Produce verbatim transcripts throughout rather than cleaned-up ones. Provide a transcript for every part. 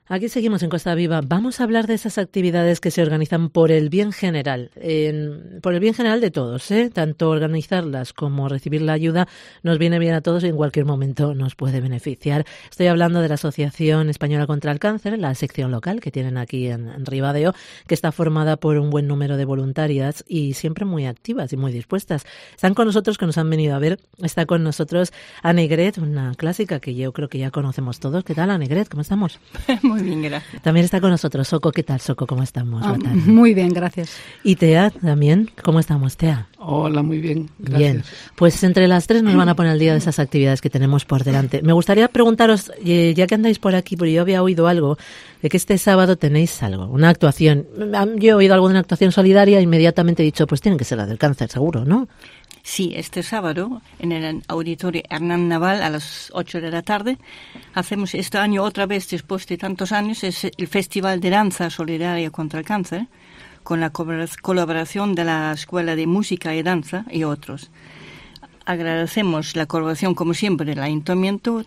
Aquí seguimos en Costa Viva. Vamos a hablar de esas actividades que se organizan por el bien general, en, por el bien general de todos, ¿eh? Tanto organizarlas como recibir la ayuda nos viene bien a todos y en cualquier momento nos puede beneficiar. Estoy hablando de la Asociación Española contra el Cáncer, la sección local que tienen aquí en, en Ribadeo, que está formada por un buen número de voluntarias y siempre muy activas y muy dispuestas. Están con nosotros, que nos han venido a ver. Está con nosotros Annegret, una clásica que yo creo que ya conocemos todos. ¿Qué tal, Annegret? ¿Cómo estamos? Muy bien, gracias. También está con nosotros Soco. ¿Qué tal, Soco? ¿Cómo estamos? Ah, muy bien, gracias. Y Tea también. ¿Cómo estamos, Tea? Hola, muy bien, gracias. Bien, pues entre las tres nos van a poner al día de esas actividades que tenemos por delante. Me gustaría preguntaros, ya que andáis por aquí, porque yo había oído algo, de que este sábado tenéis algo, una actuación. Yo he oído algo de una actuación solidaria e inmediatamente he dicho, pues tiene que ser la del cáncer, seguro, ¿no? Sí, este sábado en el Auditorio Hernán Naval a las ocho de la tarde hacemos este año otra vez, después de tantos años, es el Festival de Danza Solidaria contra el Cáncer, con la colaboración de la Escuela de Música y Danza y otros. Agradecemos la colaboración, como siempre, del Ayuntamiento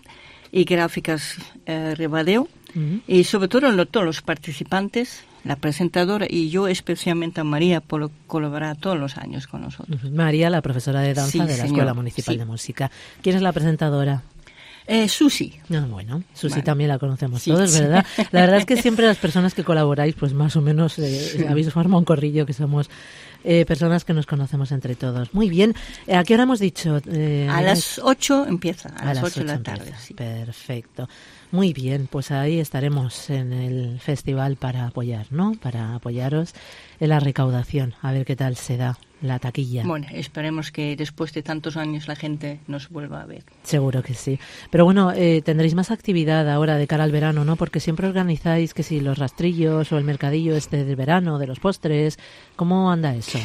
y Gráficas eh, Ribadeo, uh-huh. y sobre todo a todos los participantes, la presentadora y yo especialmente a María por colaborar todos los años con nosotros. Uh-huh. María, la profesora de danza sí, de la señor. Escuela Municipal sí. de Música. ¿Quién es la presentadora? Eh, Susi. Ah, bueno, Susi bueno. también la conocemos sí, todos, sí. ¿verdad? La verdad es que siempre las personas que colaboráis, pues más o menos eh, habéis formado un corrillo, que somos eh, personas que nos conocemos entre todos. Muy bien. ¿A qué hora hemos dicho? Eh, a las ocho empieza, a, a las ocho de la tarde. Sí. Perfecto. Muy bien, pues ahí estaremos en el festival para apoyar, ¿no? Para apoyaros en la recaudación, a ver qué tal se da la taquilla. Bueno, esperemos que después de tantos años la gente nos vuelva a ver. Seguro que sí. Pero bueno, eh, tendréis más actividad ahora de cara al verano, ¿no? Porque siempre organizáis que si los rastrillos o el mercadillo este del verano, de los postres. ¿Cómo anda eso?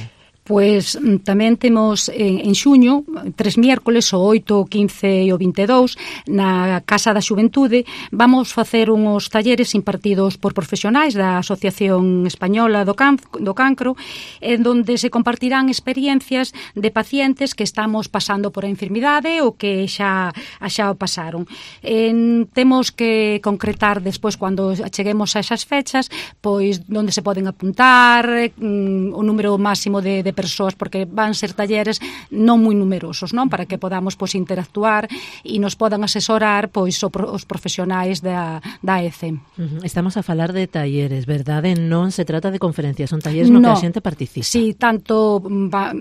Pois tamén temos en, en xuño, tres miércoles, o oito, o quince e o vinte e dous, na Casa da Xuventude, vamos facer uns talleres impartidos por profesionais da Asociación Española do, Can, do Cancro, en donde se compartirán experiencias de pacientes que estamos pasando por a enfermidade ou que xa, xa o pasaron. En, temos que concretar despois, cando cheguemos a esas fechas, pois onde se poden apuntar, mm, o número máximo de, de persoas, porque van ser talleres non moi numerosos, non? Para que podamos pois interactuar e nos podan asesorar pois os profesionais da, da E C E. Uh-huh. Estamos a falar de talleres, verdade? Non se trata de conferencias, son talleres no, no que a xente participa. Sí, tanto va,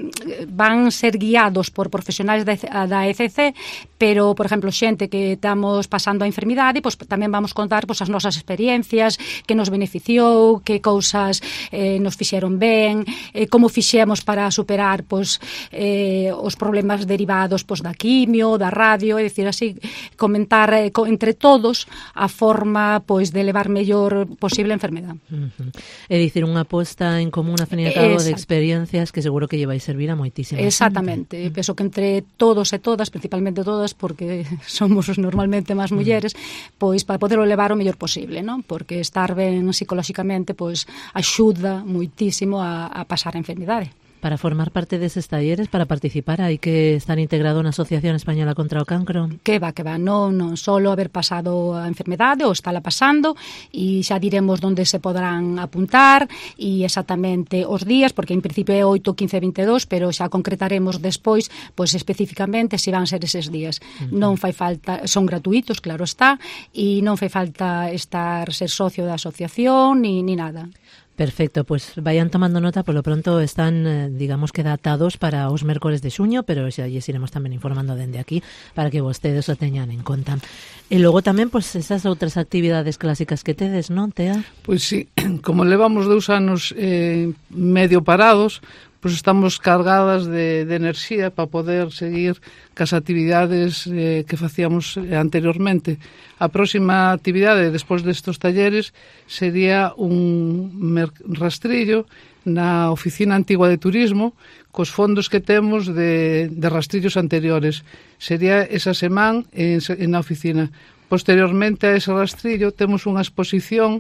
van ser guiados por profesionais da, da E C C, pero, por exemplo, xente que estamos pasando a enfermidade, pois tamén vamos contar pois as nosas experiencias, que nos beneficiou, que cousas eh, nos fixeron ben, eh, como fixemos para superar pois, eh, os problemas derivados pois, da quimio, da radio, é dicir, así, comentar eh, co, entre todos a forma pois, de levar mellor posible a enfermedade. Uh-huh. É dicir, unha aposta en común, a fin e cabo, de experiencias que seguro que lle vai servir a moitísima. Exactamente. Gente. Penso que entre todos e todas, principalmente todas, porque somos normalmente máis mulleres, uh-huh. pois para poderlo levar o mellor posible, non? Porque estar ben psicolóxicamente pois axuda moitísimo a, a pasar a enfermidade. Para formar parte deses talleres, para participar, hai que estar integrado na Asociación Española contra o Cancro? Que va, que va, non, non solo haber pasado a enfermedade ou estála pasando, e xa diremos onde se poderán apuntar e exactamente os días, porque en principio é oito, quince, vinte e dous, pero xa concretaremos despois, pois especificamente se van ser eses días. Uh-huh. Non fai falta, son gratuitos, claro está, e non fai falta estar ser socio da asociación ni, ni nada. Perfecto, pues vayan tomando nota, por lo pronto están, eh, digamos que datados para os mércores de xuño, pero xa lles iremos tamén informando dende aquí para que vostedes o teñan en conta. E logo tamén, pues, esas outras actividades clásicas que tedes, non, Tea? Pois sí, como levamos dous anos eh, medio parados, pois estamos cargadas de, de enerxía para poder seguir cas actividades eh, que facíamos anteriormente. A próxima actividade, despois destes talleres, sería un rastrillo na Oficina Antigua de Turismo, cos fondos que temos de, de rastrillos anteriores. Sería esa semana en, en na oficina. Posteriormente a ese rastrillo temos unha exposición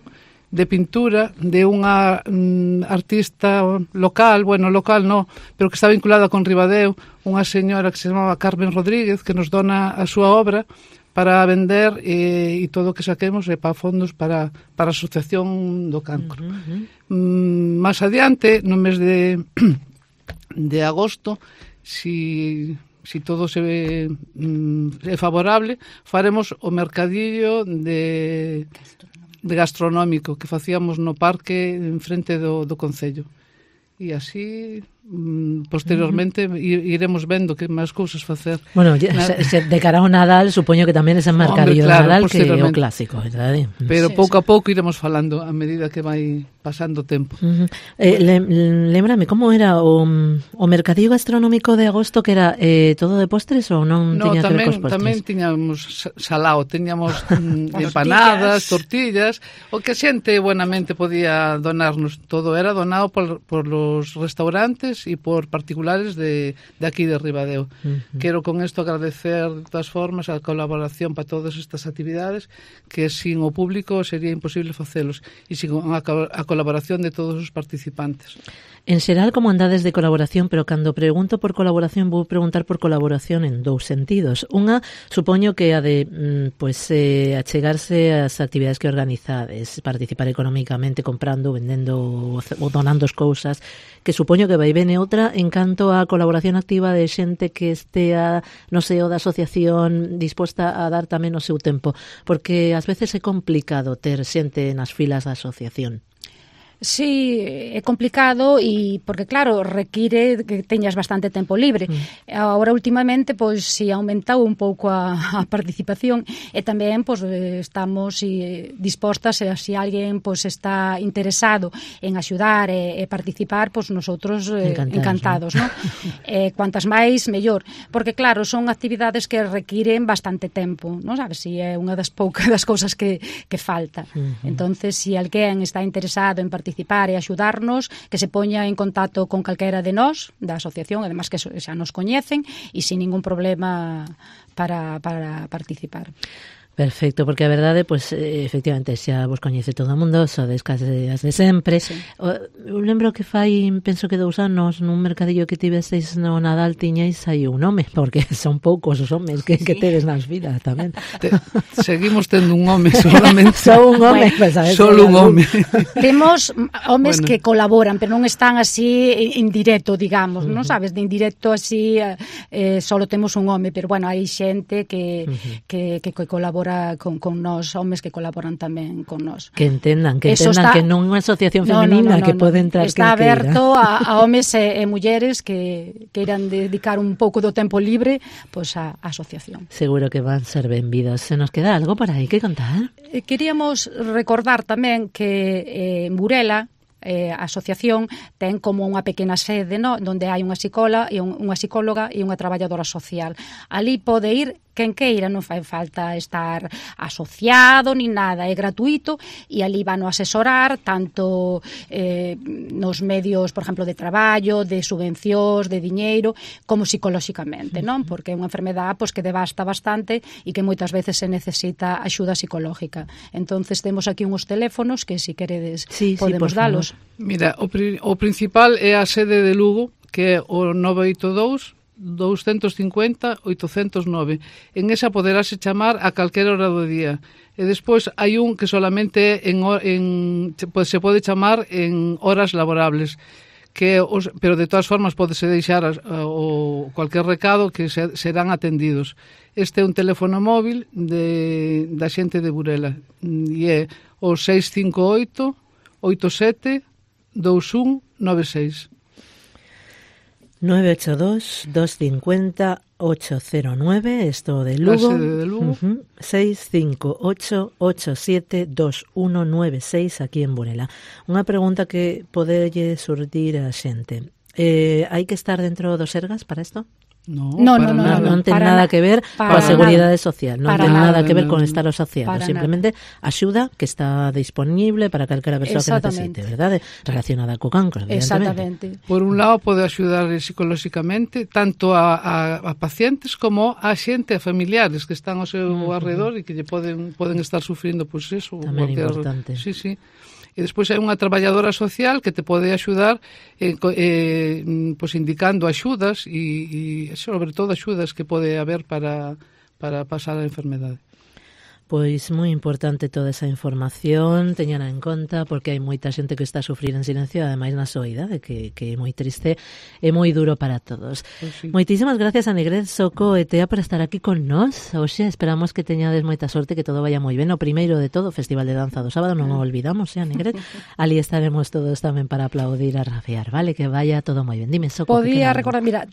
de pintura de unha mm, artista local, bueno, local no, pero que está vinculada con Ribadeo, unha señora que se chamaba Carmen Rodríguez, que nos dona a súa obra para vender e, e todo o que saquemos é para fondos para, para a Asociación do Cancro. Uh -huh. mm, Más adiante, no mes de, de agosto, si... si todo se ve mm, é favorable, faremos o mercadillo de, de gastronómico que facíamos no parque en frente do, do Concello. E así, mm, posteriormente, uh -huh. iremos vendo que máis cousas facer. Bueno, se, se, de cara ao Nadal, supoño que tamén ese mercadillo de claro, Nadal que é o clásico, verdade? Pero sí, pouco sí. a pouco iremos falando a medida que vai pasando o tempo. Uh -huh. eh, le, lembrame, como era o, o mercadillo gastronómico de agosto, que era eh, todo de postres ou non no, tiña tamén, que ver cos postres? Tamén tiñamos salao, teñamos empanadas, tortillas, o que a xente buenamente podía donarnos. Todo era donado por, por los restaurantes e por particulares de, de aquí de Ribadeo. Uh -huh. Quero con isto agradecer de todas formas a colaboración para todas estas actividades que sin o público sería imposible facelos e sin a, a colaboración de todos os participantes. En xeral, como andades de colaboración, pero cando pregunto por colaboración vou preguntar por colaboración en dous sentidos. Unha, supoño que a de pues, eh, achegarse ás actividades que organizades, participar económicamente comprando, vendendo ou donando as cousas, que supoño que vai ben. E outra, en canto a colaboración activa de xente que estea no seo da asociación disposta a dar tamén o seu tempo, porque ás veces é complicado ter xente nas filas da asociación. Sí, é complicado e porque claro, require que teñas bastante tempo libre. Mm. Agora últimamente pois si aumentou un pouco a, a participación e tamén pois estamos si, dispostas e se alguén pois está interesado en axudar e, e participar, pois nosotros eh, encantados, encantados, ¿no? eh, cuantas máis mellor, porque claro, son actividades que requiren bastante tempo, non sabes, si é unha das poucas das cousas que que falta. Uh -huh. Entonces, si alguén está interesado en participar participar e axudarnos, que se poña en contacto con calquera de nós, da asociación, además que xa nos coñecen, e sin ningún problema para, para participar. Perfecto, porque a verdade, pois, efectivamente, xa vos coñece todo o mundo, sodes case as de sempre. Sí. Eu lembro que fai, penso que dous anos, nun mercadillo que tiveseis no Nadal, tiñais aí un home, porque son poucos os homes que, sí. que tedes nas vidas tamén. Te, seguimos tendo un home solamente. Só un home, pues, a ver, solo un home. Temos homes bueno. que colaboran, pero non están así en directo, digamos, uh -huh. non sabes, de indirecto así, eh, solo temos un home, pero bueno, hai xente que, uh -huh. que, que, que colabora Con, con nós, homes que colaboran tamén con nós. Que entendan, que Eso entendan está... que non é unha asociación femenina no, no, no, que no, pode entrar está aberto a, a homes e, e mulleres que queiran dedicar un pouco do tempo libre pois a, a asociación. Seguro que van ser benvidos. Se nos queda algo por aí que contar? Eh, queríamos recordar tamén que eh, en Burela Eh, a asociación ten como unha pequena sede, no? Donde hai unha psicóloga e un, unha psicóloga e unha traballadora social. Ali pode ir quen queira, non fai falta estar asociado ni nada, é gratuito e ali van a asesorar tanto eh, nos medios, por exemplo, de traballo, de subvencións, de diñeiro, como psicolóxicamente, non? Porque é unha enfermedade pois, que devasta bastante e que moitas veces se necesita axuda psicológica. Entonces temos aquí uns teléfonos que se si queredes sí, podemos sí, dalos. Mira, o, pri o principal é a sede de Lugo, que é o nove oito dous, dous cinco zero, oito zero nove. En esa poderase chamar a calquera hora do día. E despois hai un que solamente en, en, pues, se pode chamar en horas laborables, que os, pero de todas formas podese deixar a, a, o cualquier recado que se, serán atendidos. Este é un teléfono móvil de, da xente de Burela e é o seis cinco oito, oito sete, dous un nove seis. nove ocho dos, dos cinco cero, ocho cero nueve, esto de Lugo, de Lugo. Uh-huh. seis cinco ocho, ocho siete, dos uno nueve seis aquí en Burela. Unha pregunta que podelle surdir a xente. Eh, hai que estar dentro dos Sergas para isto? No, no, no, no, no, no, non ten nada que ver coa seguridade social, non ten nada que ver con estar asociado, simplemente axuda que está disponible para calquera persoa que necesite, verdade? Relacionada co cancro, evidentemente. Por un lado pode axudar psicolóxicamente tanto a, a, a pacientes como a xente, a familiares que están ao seu uh -huh. alrededor e que lle poden poden estar sufrindo pois pues, eso, tamén cualquier... importante. Sí, sí. E despois hai unha traballadora social que te pode axudar eh, eh, pues indicando axudas e, e sobre todo axudas que pode haber para, para pasar a enfermedade. Pois moi importante toda esa información, teñana en conta, porque hai moita xente que está a sufrir en silencio, ademais na súa idade, que, que é moi triste e moi duro para todos. Pues sí. Moitísimas gracias a Negret, Soco e Tea por estar aquí con nós. Oxe, esperamos que teñades moita sorte, que todo vaya moi ben. O primeiro de todo, Festival de Danza do Sábado, non o olvidamos, eh, Negret. Ali estaremos todos tamén para aplaudir a rabiar, vale? Que vaya todo moi ben. Dime, Soco. Podía recordar, mira,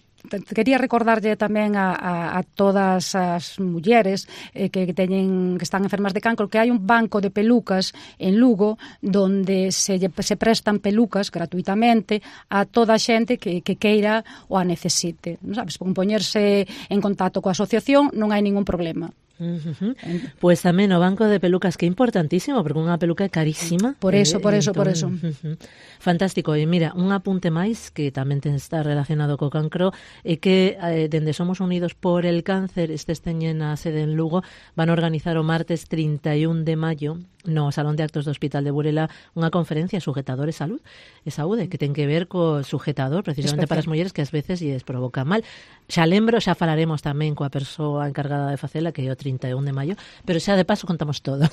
quería recordarlle tamén a, a, a todas as mulleres eh, que teñen que están enfermas de cancro, que hai un banco de pelucas en Lugo donde se, se prestan pelucas gratuitamente a toda a xente que, que queira ou a necesite, non sabes, con poñerse en contacto coa asociación non hai ningún problema. Uh-huh. Pois tamén o banco de pelucas, que é importantísimo, porque unha peluca é carísima. Por eso, eh, por eso, entón, por eso. Uh-huh. Fantástico. E mira, un apunte máis que tamén ten está relacionado co cancro é que eh, dende Somos Unidos por el Cáncer, estes teñen a sede en Lugo, van a organizar o martes trinta e un de maio no Salón de Actos do Hospital de Burela unha conferencia Sujetador e Salud e Saúde, que ten que ver co sujetador precisamente especial para as mulleres que ás veces lles provoca mal. Xa lembro, xa falaremos tamén coa persoa encargada de facela, que é o trinta e un de maio, pero xa de paso contamos todo.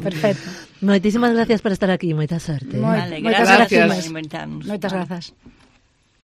Perfecto. Moitísimas gracias por estar aquí, moita sorte. Vale, Moitas gracias gracias. por inventarnos. Moitas grazas.